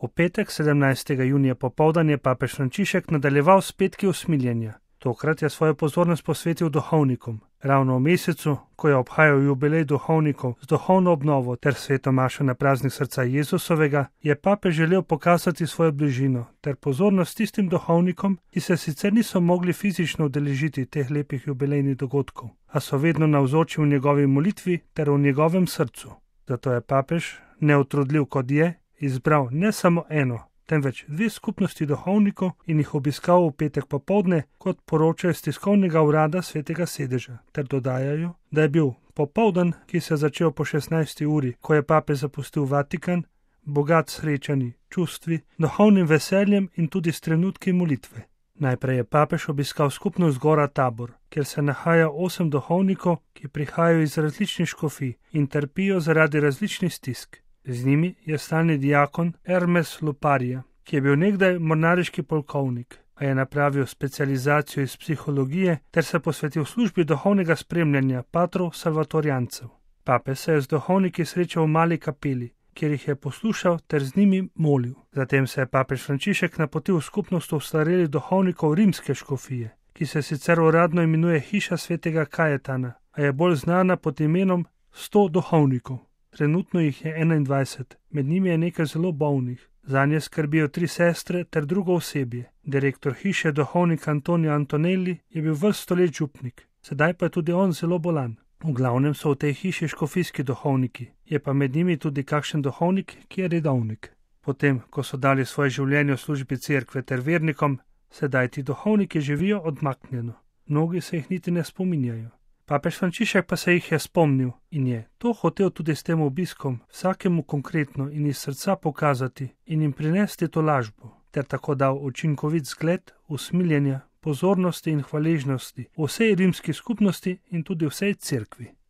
V petek 17. junija popoldan je papež Frančišek nadaljeval s petki usmiljenja. Tokrat je svojo pozornost posvetil duhovnikom. Ravno v mesecu, ko je obhajal jubilej duhovnikov z duhovno obnovo ter sveto mašo na praznik srca Jezusovega, je papež želel pokazati svojo bližino ter pozornost tistim duhovnikom, ki se sicer niso mogli fizično udeležiti teh lepih jubilejnih dogodkov, a so vedno navzoči v njegovi molitvi ter v njegovem srcu. Zato je papež, neutrudljiv kot je, izbral ne samo eno, temveč dve skupnosti duhovnikov in jih obiskal v petek popoldne, kot poročajo iz tiskovnega urada Svetega sedeža, ter dodajajo, da je bil popoldan, ki se je začel po 16. uri, ko je papež zapustil Vatikan, bogat srečanji, čustvi, duhovnim veseljem in tudi s trenutki molitve. Najprej je papež obiskal skupnost Gora Tabor, kjer se nahaja 8 duhovnikov, ki prihajajo iz različnih škofij in trpijo zaradi različnih stisk. Z njimi je stalni diakon Hermes Luparija, ki je bil nekdaj mornariški polkovnik, a je napravil specializacijo iz psihologije ter se posvetil službi duhovnega spremljanja patrov salvatorijancev. Papež se je z duhovniki srečal v mali kapeli, kjer jih je poslušal ter z njimi molil. Zatem se je papež Frančišek napotil v skupnost ostarelih duhovnikov rimske škofije, ki se sicer uradno imenuje Hiša svetega Kajetana, a je bolj znana pod imenom 100 duhovnikov. Trenutno jih je 21, med njimi je nekaj zelo bolnih. Zanje skrbijo 3 sestre ter drugo osebje. Direktor hiše, duhovnik Antonio Antonelli, je bil vrsto let župnik, sedaj pa je tudi on zelo bolan. V glavnem so v tej hiši škofijski duhovniki, je pa med njimi tudi kakšen duhovnik, ki je redovnik. Potem, ko so dali svoje življenje v službi cerkve ter vernikom, sedaj ti duhovniki živijo odmaknjeno. Mnogi se jih niti ne spominjajo. Papež Frančišek pa se jih je spomnil in je to hotel tudi s tem obiskom vsakemu konkretno in iz srca pokazati in jim prinesti to lažbo, ter tako dal učinkovit zgled usmiljenja, pozornosti in hvaležnosti vsej rimski skupnosti in tudi vsej cerkvi.